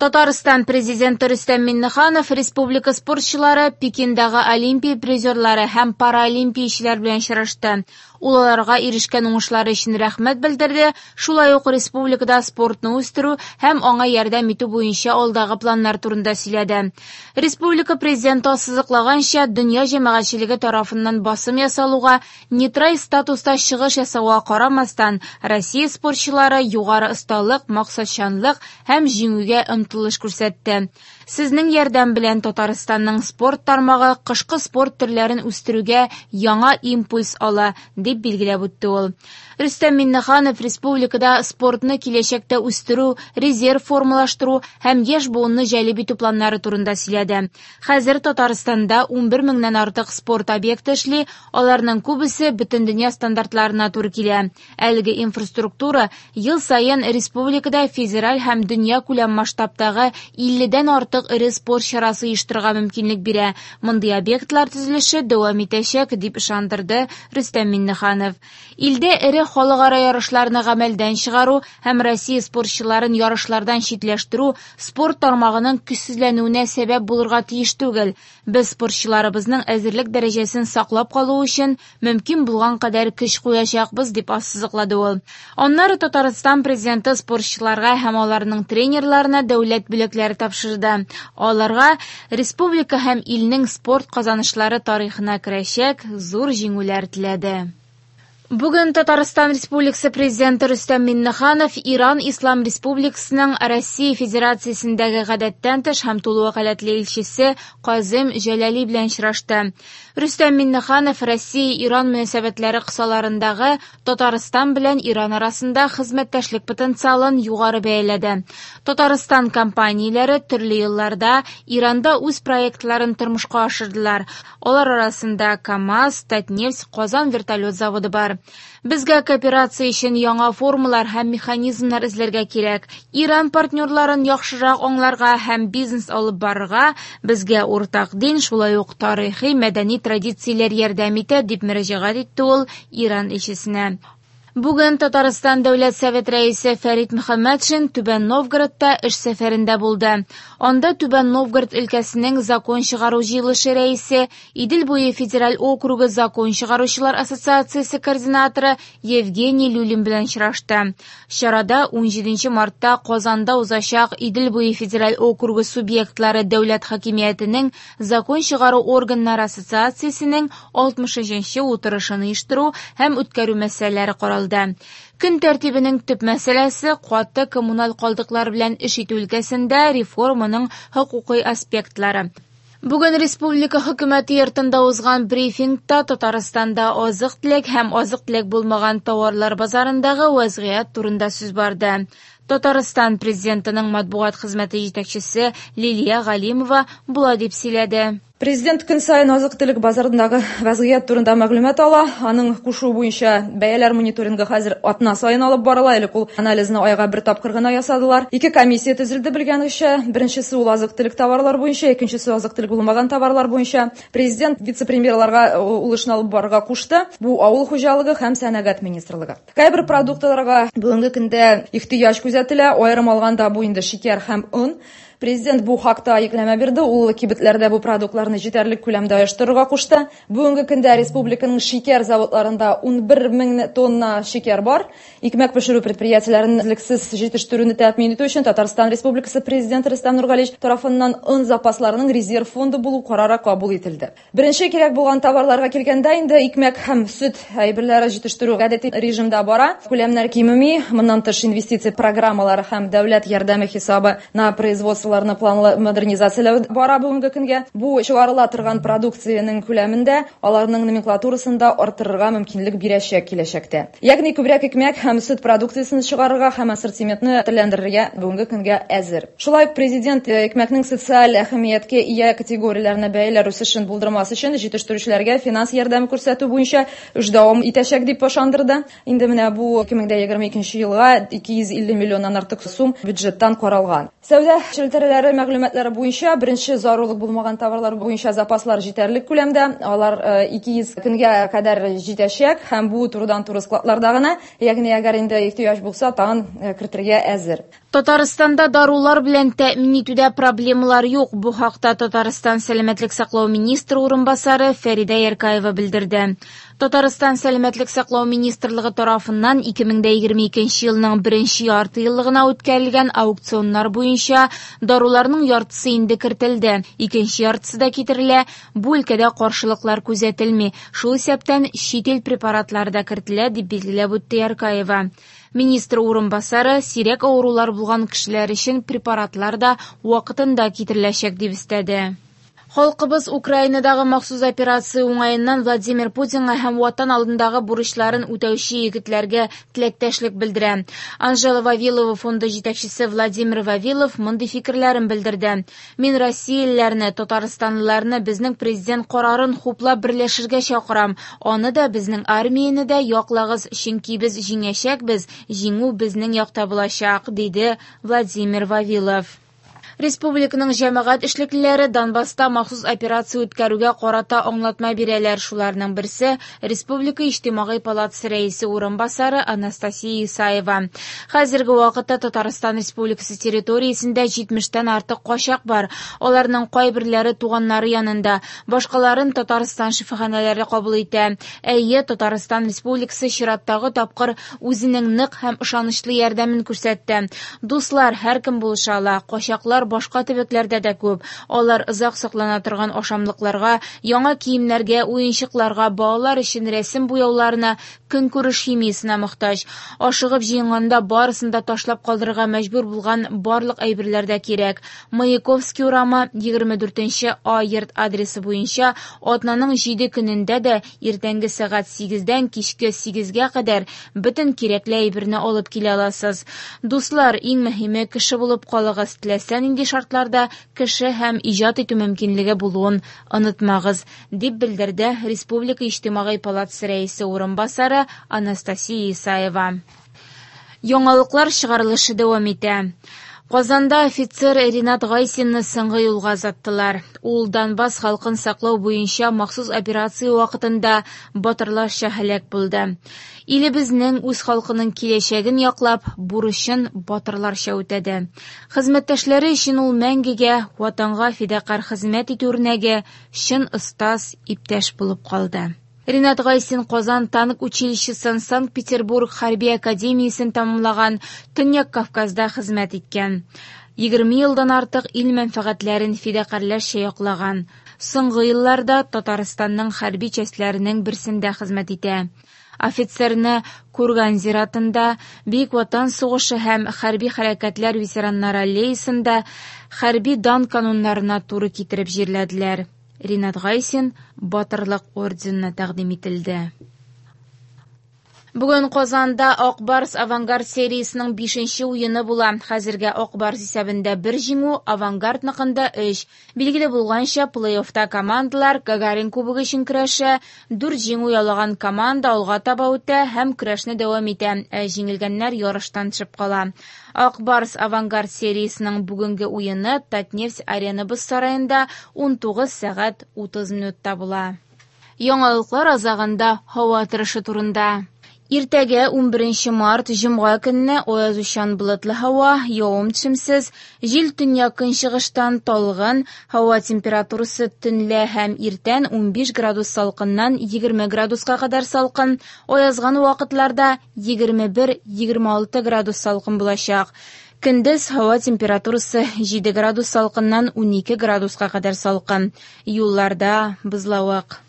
Татарстан Президенты Рөстәм Миңнеханов республика спортчылары, Пекиндагы Олимпия призерлары һәм паралимпиячеләр белән очрашты. Ул аларга ирешкән уңышлары өчен рәхмәт белдерде, шулай ук республикада спортны үстерү һәм аңа ярдәм итү буенча алдагы планнар турында сөйләде. Республика Президенты ассызыклаганча, дөнья җәмәгатьчелеге тарафыннан басым ясалуга, нейтраль статуста чыгыш ясауга карамастан, Россия спортчылары югары осталык, максатчанлык һәм җиңүгә омтылыш күрсәтте. Сезнең ярдәм белән Татарстанның спорт тармагы кышкы спорт төрләрен үстерүгә яңа импульс ала, дип билгеләп үтте ул. Рөстәм Миңнеханов республикада спортны киләчәктә үстерү, резерв формалаштыру һәм яшь буынны җәлеп итү планнары турында сөйләде. Хәзер Татарстанда 11 меңнән артык спорт объекты эшли, аларның күбесе бөтендөнья стандартларына туры килә. Әлеге инфраструктура ел саен республикада федераль һәм дөньякүләм масштабтагы 50дән артык эре спорт чарасы оештырырга мөмкинлек бирә. Мондый объектлар төзелеше дәвам итәчәк, дип ышандырды Рөстәм Миңнеханов. Илдә эре халыкара ярышларны гамәлдән чыгару һәм Россия спортчыларын ярышлардан читләштерү спорт тармагының көчсезләнүенә сәбәп булырга тиеш түгел. Без спортчыларыбызның әзерлек дәрәҗәсен саклап калу өчен мөмкин булган кадәр көч куячакбыз, дип ассызыклады ул. Аннары Татарстан Президенты спортчыларга һәм аларның тренерларына дәүләт бүләкләре тапшырды. Аларга республика һәм илнең спорт казанышлары тарихына керәчәк зур җиңүләр теләде. Бүген Татарстан Республикасы Президенты Рөстәм Миңнеханов Иран Ислам Республикасының Россия Федерациясендәге гадәттән тыш һәм тулы вәкаләтле илчесе Казым Җәләли белән очрашты. Рөстәм Миңнеханов Россия-Иран мөнәсәбәтләре кысаларындагы Татарстан белән Иран арасында хезмәттәшлек потенциалын югары бәяләде. Татарстан компанияләре төрле елларда Иранда үз проектларын тормышка ашырдылар. Алар арасында КАМАЗ, Татнефть, Казан вертолет заводы бар. Безгә кооперация өчен яңа формалар һәм механизмнар эзләргә кирәк. Иран партнерларын яхшырак аңларга һәм бизнес алып барырга безгә уртак дин, шулай ук тарихи, мәдәни традицияләр ярдәм итә, дип мөрәҗәгать итте ул Иран илчесенә. Бүген Татарстан Дәүләт Совет рәисе Фәрит Мөхәммәтшин Түбән Новгородта эш сәфәрендә булды. Анда Түбән Новгород өлкәсенең закон чыгару җыелышы рәисе, Идел буе федераль округы закон чыгаручылар ассоциациясе координаторы Евгений Люлин белән очрашты. Чарада 17 мартта Казанда узачак Идел буе федераль округы субъектлары дәүләт хакимиятенең закон чыгару органнары ассоциациясенең 63 утырышын оештыру һәм үткәрү мәсьәләләре каралды. Көн тәртибенең төп мәсьәләсе каты коммуналь калдыклар белән эш итү өлкәсендә реформаның хокукый аспектлары. Бүген республика хөкүмәте йортында узган брифингта Татарстанда азык-төлек һәм азык-төлек булмаган товарлар базарындагы вәзгыять турында сүз барды. Татарстан президентының матбугат хезмәте җитәкчесе Лилия Галимова болай дип сөйләде. Президент көн саен азык-төлек базарындагы вәзгыять турында мәгълүмат ала. Аның кушуы буенча бәяләр мониторингы хәзер атна саен алып барыла. Элек ул анализны айга бер тапкыр гына ясадылар. Ике комиссия төзелде, белгәнегезчә. Беренчесе ул азык-төлек товарлар буенча, икенчесе азык-төлек булмаган товарлар буенча. Президент вице-премьерларга ул эшне алып барырга кушты. Бу авыл хуҗалыгы һәм сәнәгать министрлыгы. Кайбер продуктларга бүгенге көндә ихтыяҗ күзәтелә. Аерым алганда бу инде шикәр һәм он. Президент бу хакта йөкләмә бирде. Ул кибетләрдә бу продуктларны җитәрлек күләмдә оештырырга кушты. Бүгенге көндә республиканың шикәр заводларында 11 мең тонна шикәр бар. Икмәк пешерү предприятиеләрен өзлексез җитештерүне тәэмин итү өчен Татарстан Республикасы Президенты Рөстәм Нургалиевич тарафыннан он запасларының резерв фонды булу карары кабул ителде. Беренче кирәк булган товарларга килгәндә инде икмәк һәм сөт әйберләре җитештерү гадәти режимда бара. Күләмнәр кимеми, моннан тыш инвестиция программалары һәм дәүләт ярдәме хисабы на производстволарны планлы модернизацияләү бара бүгенге көнгә. Бу чыгарыла торган продукциянең күләмендә аларның номенклатурасын да арттырырга мөмкинлек бирәчәк киләчәктә. Ягъни күбрәк икмәк һәм сөт продукциясен чыгарырга һәм ассортиментны төрләндерергә бүгенге көнгә әзер. Шулай ук президент икмәкнең социаль әһәмияткә ия категорияләренә бәяләр үсешен булдырмас өчен җитештерүчеләргә финанс ярдәме күрсәтү буенча эш дәвам итәчәк дип ышандырды. Инде менә бу 2022 елга 250 миллион миллионнан артык сум бюджеттан каралган. Сәүдә челтәрләре мәгълүматлары буенча беренче зарурлык булмаган товарлар буенча запаслар җитәрлек күләмдә, алар 200 көнгә кадәр җитәчәк һәм бу турыдан-туры складларда гына, ягъни әгәр инде ихтыяҗ булса, тагын кертергә әзер. Татарстанда дарулар белән тәэмин итүдә проблемалар юк. Бу хакта Татарстан сәламәтлек саклау министры урынбасары Фәридә Яркаева белдерде. Татарстан сәламәтлек саклау министрлыгы тарафыннан 2022 елның беренче ярты еллыгына үткәрелгән аукционнар буенча даруларның яртысы инде кертелде, икенче яртысы да китерелә. Бу өлкәдә каршылыклар күзәтелми. Шул исәптән чит ил препаратлары да кертелә, дип билгеләп үтте Яркаева. Министр урынбасары сирәк авырулар булган кешеләр өчен препаратлар да вакытында китереләчәк дип өстәде. Халкыбыз Украинадагы махсус операция уңаеннан Владимир Путинга һәм Ватан алдындагы бурычларын үтәүче егетләргә теләктәшлек белдерә. Анжела Вавилова фонды җитәкчесе Владимир Вавилов мондый фикерләрен белдерде. Мин россиялеләрне, татарстанлыларны безнең президент карарын хуплап берләшергә чакырам. Аны да, безнең армияне дә яклагыз, чөнки без җиңәчәкбез, җиңү безнең якта булачак, диде Владимир Вавилов. Республиканың җәмәгать эшлеклеләре Донбасста махсус операция үткәрүгә карата аңлатма бирәләр. Шуларның берсе Республика иҗтимагый палатасы рәисе урынбасары Анастасия Исаева. Хәзерге вакытта Татарстан Республикасы территориясендә 70-тән артык качак бар. Аларның кайберләре туганнары янында, башкаларын Татарстан шифаханәләре кабул итә. Әйе, Татарстан Республикасы чираттагы тапкыр үзенең нык һәм ышанычлы ярдәмен күрсәтте. Дуслар, һәркем булыша ала. Качаклар башка төбәкләрдә дә күп. Алар озак саклана торган ашамлыкларга, яңа киемнәргә, уенчыкларга, балалар өчен рәсем буяуларына, көнкүреш химиясенә мохтаҗ. Ашыгып җыенганда барысын да ташлап калдырырга мәҗбүр булган барлык әйберләр дә кирәк. Маяковский урамы 24 А йорт адресы буенча атнаның 7 көнендә дә иртәнге сәгать 8-дән кичке 8-гә кадәр бөтен кирәкле әйберне алып килә аласыз. Дуслар, иң мөһиме кеше булып калыгыз. Теләсә нинди шартларда кеше һәм иҗат итү мөмкинлеге булуын онытмагыз, дип белдерде Республика иҗтимагый палатасы рәисе урынбасары Анастасия Исаева. Яңалыклар чыгарылышы дәвам итә. Казанда офицер Ринат Гайсинны соңгы юлга озаттылар. Ул Донбасс халкын саклау буенча махсус операция вакытында батырларча һәлак булды. Илебезнең үз халкының киләчәген яклап, бурычын батырларча үтәде. Хезмәттәшләре өчен ул мәңгегә ватанга фидакарь хезмәт итү үрнәге, чын остаз, иптәш булып калды. Ринат Гайсин Казан танк училищесын, Санкт-Петербург хәрби академиясен тәмамлаган, Төньяк Кавказда хезмәт иткән. 20 елдан артык ил мәнфәгатьләрен фидакарьләрчә яклаган. Соңгы елларда Татарстанның хәрби частьләренең берсендә хезмәт итә. Офицерны Курган зиратында, Бөек Ватан сугышы һәм хәрби хәрәкәтләр ветераннары аллеясында хәрби дан кануннарына туры китереп җирләделәр. Ринат Гайсин Батырлык орденына тәкъдим ителде. Бүген Казанда Ак Барс Авангард сериясенең 5-нче уены була. Хәзергә Ак Барс исәбендә 1 җиңү, Авангардныкында 3. Билгеле булганча, плей-оффта командалар Гагарин кубогы өчен көрәшә. 4 җиңү яулаган команда алга таба үтә һәм көрәшне дәвам итә, ә җиңелгәннәр ярыштан төшеп кала. Ак Барс Авангард сериясенең бүгенге уены Татнефть Арена боз сараенда 19 сәгать 30 минутта була. Яңалыклар азагында һава торышы турында. Иртәгә 11 март җомга көнне аязучан болытлы һава, явым-төшемсез, җил төньяк көнчыгыштан талгын, һава температурасы төнлә һәм иртән 15 градус салкыннан 20 градуска кадәр салкын, аязган вакытларда 21-26 градус салкын булачак. Көндез һава температурасы 7 градус салкыннан 12 градуска кадәр салкын. Юлларда бозлавык.